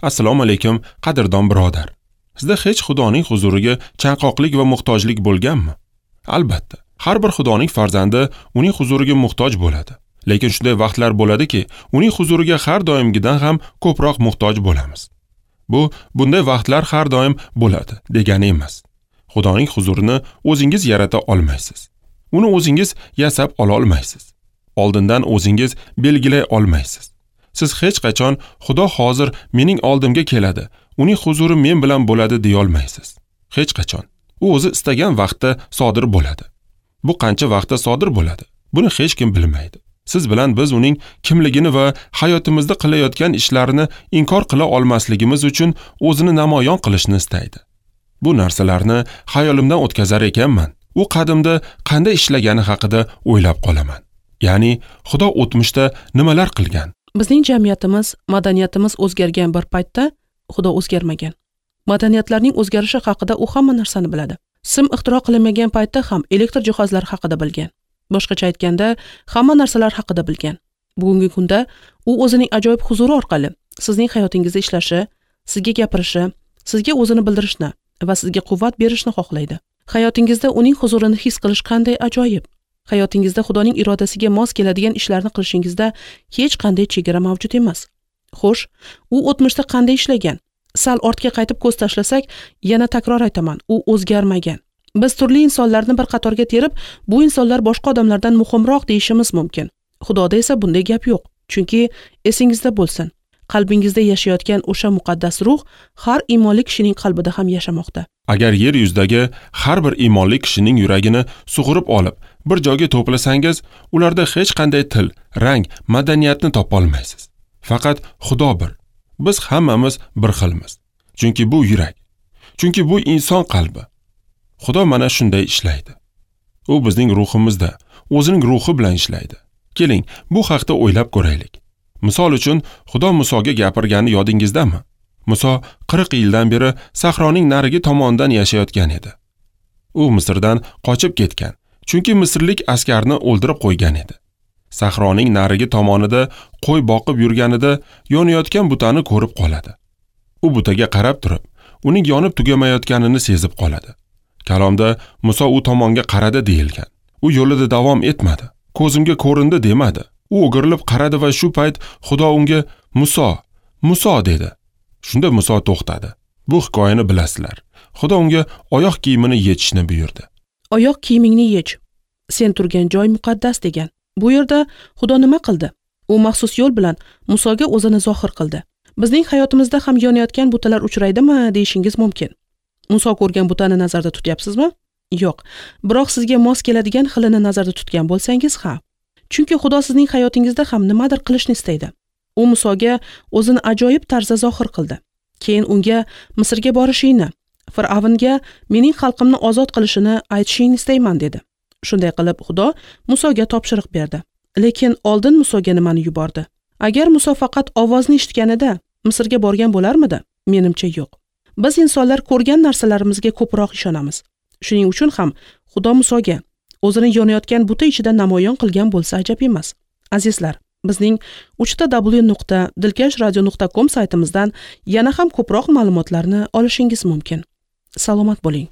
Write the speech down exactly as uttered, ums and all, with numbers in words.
Assalomu alaykum, qadrdon birodar. Sizda hech Xudoning huzuriga chanqoqlik va muhtojlik bo'lganmi? Albatta, har bir Xudoning farzandi uning huzuriga muhtoj bo'ladi. Lekin shunday vaqtlar bo'ladiki, uning huzuriga har doimgidan ham ko'proq muhtoj bo'lamiz. Bu bunday vaqtlar har doim bo'ladi degani emas. Xudoning huzurini o'zingiz yarata olmaysiz. Uni o'zingiz yasab ola olmaysiz. Oldindan o'zingiz belgilay olmaysiz. Siz hech qachon Xudo hozir mening oldimga keladi, uning huzuri men bilan bo'ladi deya olmaysiz. Hech qachon. U o'zi istagan vaqtda sodir bo'ladi. Bu qancha vaqtda sodir bo'ladi? Buni hech kim bilmaydi. Siz bilan biz uning kimligini va hayotimizda qilayotgan ishlarini inkor qila olmasligimiz uchun o'zini namoyon qilishni istaydi. Bu narsalarni xayolimdan o'tkazar ekanman, u qadimda qanday ishlagani haqida o'ylab qolaman. Ya'ni Xudo o'tmishda nimalar qilgan? Bizning jamiyatimiz, madaniyatimiz o'zgargan bir paytda Xudo o'zgarmagan. Madaniyatlarning o'zgarishi haqida u hamma narsani biladi. Sim ixtiro qilinmagan paytda ham elektr jihozlari haqida bilgan. Boshqacha aytganda, hamma narsalar haqida bilgan. Bugungi kunda u o'zining ajoyib huzuri orqali sizning hayotingizda ishlashi, sizga gapirishi, sizga o'zini bildirishni va sizga quvvat berishni xohlaydi. Hayotingizda uning huzurini his qilish qanday ajoyib. Hayotingizda Xudoning irodasiga mos keladigan ishlarni qilishingizda hech qanday chegara mavjud emas. Xo'sh, u o'tmishda qanday ishlagan? Sal ortga qaytib ko'z tashlasak, yana takror aytaman, u o'zgarmagan. Biz turli insonlarni bir qatorga terib, bu insonlar boshqa odamlardan muhimroq deyishimiz mumkin. Xudoda esa bunday gap yo'q. Chunki esingizda bo'lsin, qalbingizda yashayotgan o'sha muqaddas ruh har iymonli kishining qalbida ham yashamoqda. Agar yer yuzidagi har bir iymonli kishining yuragini sug'urib olib, bir joyga to'plasangiz, ularda hech qanday til, rang, madaniyatni topa olmaysiz. Faqat Xudo bir. Biz hammamiz bir xilmiz. Chunki bu yurak. Chunki bu inson qalbi. Xudo mana shunday ishlaydi. U bizning ruhimizda, o'zining ruhi bilan ishlaydi. Keling, bu haqda o'ylab ko'raylik. Misol uchun, Xudo Musoga gapirgani yodingizdami? Muso qirq yildan beri sahroning narigi tomonidan yashayotgan edi. U Misrdan qochib ketgan, chunki misrlik askarni o'ldirib qo'ygan edi. Sahroning narigi tomonida qo'y boqib yurganida yonayotgan butani ko'rib qoladi. U butaga qarab turib, uning yonib tugamayotganini sezib qoladi. Kalomda Muso u tomonga qaradi deyilgan. U yo'lida davom etmadi. Ko'zimga ko'rindi demadi. U o'girilib qaradi va shu payt Xudo unga Muso, Muso dedi. Shunda Muso to'xtadi. Bu hikoyani bilasizlar. Xudo unga oyoq kiyimini yechishni buyurdi. Oyoq kiyimingni yech. Sen turgan joy muqaddas degan. Bu yerda Xudo nima qildi? U maxsus yo'l bilan Musoga o'zini zohir qildi. Bizning hayotimizda ham yonayotgan butalar uchraydimi deyishingiz mumkin. Muso ko'rgan butani nazarda tutyapsizmi? Yo'q. Biroq sizga mos keladigan xilini nazarda tutgan bo'lsangiz, ha. Chunki Xudo sizning hayotingizda ham nimadir qilishni istaydi. U Musoga o'zini ajoyib tarzda zohir qildi. Keyin unga Misrga borishingni, Fir'avnga mening xalqimni ozod qilishini aytishingni istayman dedi. Shunday qilib Xudo Musoga topshiriq berdi. Lekin oldin Musoga nimani yubordi? Agar Muso faqat ovozni eshitganida Misrga borgan bo'larmidi? Menimcha yo'q. Biz insonlar ko'rgan narsalarimizga ko'proq ishonamiz. Shuning uchun ham Xudo Musoga o'zini yonayotgan buta ichida namoyon qilgan bo'lsa ajab emas. Azizlar, bizning uch ta w nuqta dilkash radio nuqta com saytimizdan yana ham ko'proq ma'lumotlarni olishingiz mumkin. Salomat bo'ling.